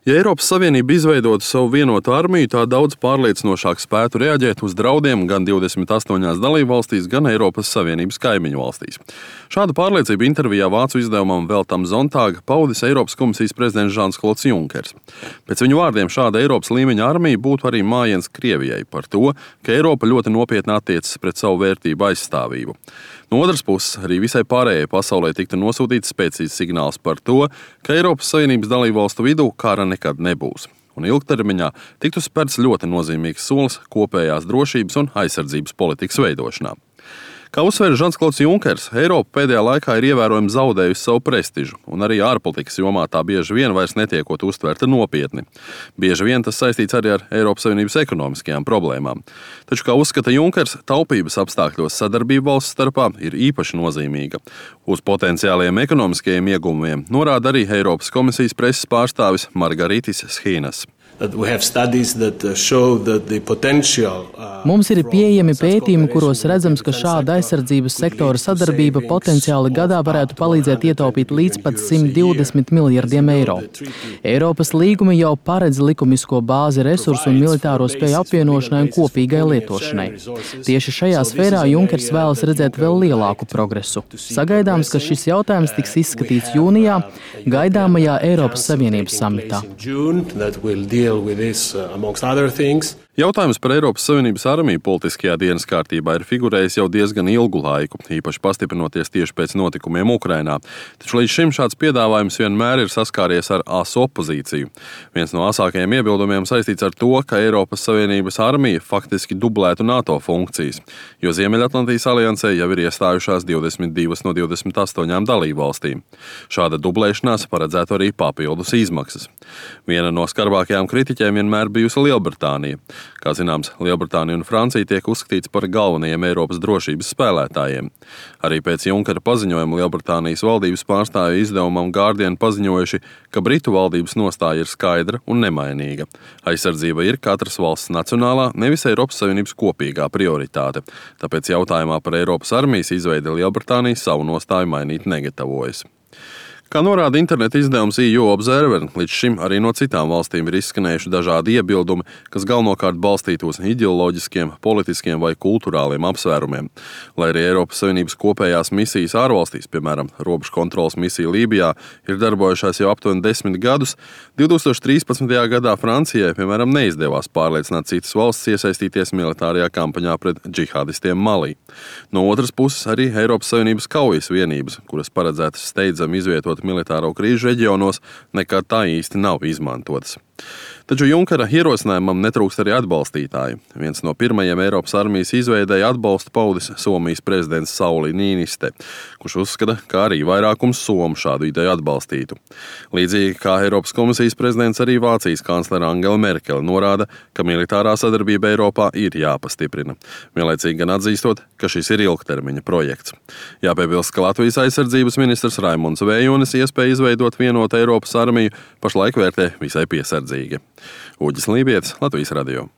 Ja Eiropas Savienība izveidotu savu vienotu armiju, tā daudz pārliecinošāk spētu reaģēt uz draudiem gan 28 dalībvalstīs, gan Eiropas Savienības kaimiņu valstīs. Šādu pārliecību intervijā vācu izdevumam Welt am Sonntag paudis Eiropas komisijas prezidents Žans-Klods Junkers. Pēc viņu vārdiem šāda Eiropas līmeņa armija būtu arī mājiens Krievijai par to, ka Eiropa ļoti nopietni attiecas pret savu vērtību aizstāvību. No otras puses, arī visai pārējai pasaulē tiktu nosūtīts spēcīgs signāls par to, ka Eiropas Savienības dalībvalstu vidū kara nekad nebūs. Un ilgtermiņā tiktu spērts ļoti nozīmīgs solis kopējās drošības un aizsardzības politikas veidošanā. Kā uzsver Žans-Klods Junkers, Eiropa pēdējā laikā ir ievērojami zaudējusi savu prestižu, un arī ārpolitikas jomā tā bieži vien vairs netiekot uztverta nopietni. Bieži vien tas saistīts arī ar Eiropas Savienības ekonomiskajām problēmām. Taču, kā uzskata Junkers, taupības apstākļos sadarbība valsts starpā ir īpaši nozīmīga. Uz potenciāliem ekonomiskajiem ieguvumiem norāda arī Eiropas komisijas preses pārstāvis Margaritis Schīnas. Mums ir pieejami pētījumi, kuros redzams, ka šāda aizsardzības sektora sadarbība potenciāli gadā varētu palīdzēt ietaupīt līdz pat 120 miljardiem eiro. Eiropas līgumi jau paredz likumisko bāzi resursu un militāro spēju apvienošanai un kopīgai lietošanai. Tieši šajā sfērā Junkers vēlas redzēt vēl lielāku progresu. Sagaidāms, ka šis jautājums tiks izskatīts jūnijā gaidāmajā Eiropas Savienības samitā. Jautājums par Eiropas Savienības armiju politiskajā dienas kārtībā ir figurējis jau diezgan ilgu laiku, īpaši pastiprinoties tieši pēc notikumiem Ukrainā. Taču līdz šim šāds piedāvājums vienmēr ir saskāries ar asu opozīciju. Viens no asākajiem iebildumiem saistīts ar to, ka Eiropas Savienības armija faktiski dublētu NATO funkcijas, jo Ziemeļatlantijas aliansē jau ir iestājušās 22 no 28 dalībvalstīm. Šāda dublēšanās paredzētu arī papildus izmaksas. Viena no skarbākajām kritiķiem vienmēr bijusi Lielbritānija. Kā zināms, Lielbritānija un Francija tiek uzskatīts par galvenajiem Eiropas drošības spēlētājiem. Arī pēc Junkera paziņojuma Lielbritānijas valdības pārstāvju izdevumam Guardian paziņojuši, ka Britu valdības nostāja ir skaidra un nemainīga. Aizsardzība ir katras valsts nacionālā, nevis Eiropas Savienības kopīgā prioritāte. Tāpēc jautājumā par Eiropas armijas izveidi Lielbritānija savu nostāju mainīt negatavojas. Kā norāda interneta izdevums EU Observer, līdz šim arī no citām valstīm ir izskanējuši dažādi iebildumi, kas galvenokārt balstīti uz ideoloģiskiem, politiskiem vai kulturāliem apsvērumiem. Lai arī Eiropas Savienības kopējās misijas ārvalstīs, piemēram, robežu kontroles misija Lībijā, ir darbojušās jau aptuveni 10 gadus, 2013. gadā Francijai, piemēram, neizdevās pārliecināt citas valsts iesaistīties militārajā kampaņā pret džihādistiem Malī. No otras puses arī Eiropas Savienības kaujas vienības, kuras paredzētas steidzami izvietot militāro krīžu reģionos, nekad tā īsti nav izmantotas. Taču Junkera ierosinājumam netrūkst arī atbalstītāji. Viens no pirmajiem Eiropas armijas izveidēji atbalstu paudis Somijas prezidents Sauli Niiniste, kurš uzskata, ka arī vairākums somu šādu ideju atbalstītu. Līdzīgi kā Eiropas komisijas prezidents, arī Vācijas kanclere Angela Merkele norāda, ka militārā sadarbība Eiropā ir jāpastiprina, vienlaicīgi gan atzīstot, ka šis ir ilgtermiņa projekts. Jāpiebilst, ka Latvijas aizsardzības ministrs Raimunds Vējonis iespēju izveidot vienotu Eiropas armiju pašlaik vērtē visai piesardzīgi. Uģis Lībietis, Latvijas radio.